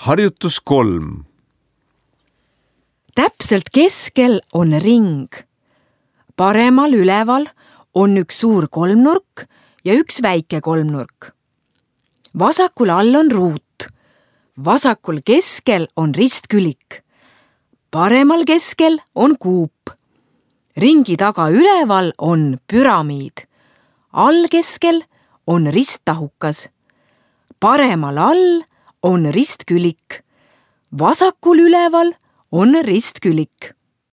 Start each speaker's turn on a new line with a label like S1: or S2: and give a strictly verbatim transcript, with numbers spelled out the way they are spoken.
S1: Harjutus kolm.
S2: Täpselt keskel on ring. Paremal üleval on üks suur kolmnurk ja üks väike kolmnurk. Vasakul all on ruut. Vasakul keskel on ristkülik. Paremal keskel on kuup. Ringi taga üleval on püramiid. All keskel on risttahukas. Paremal all on ristkülik. Vasakul üleval on ristkülik.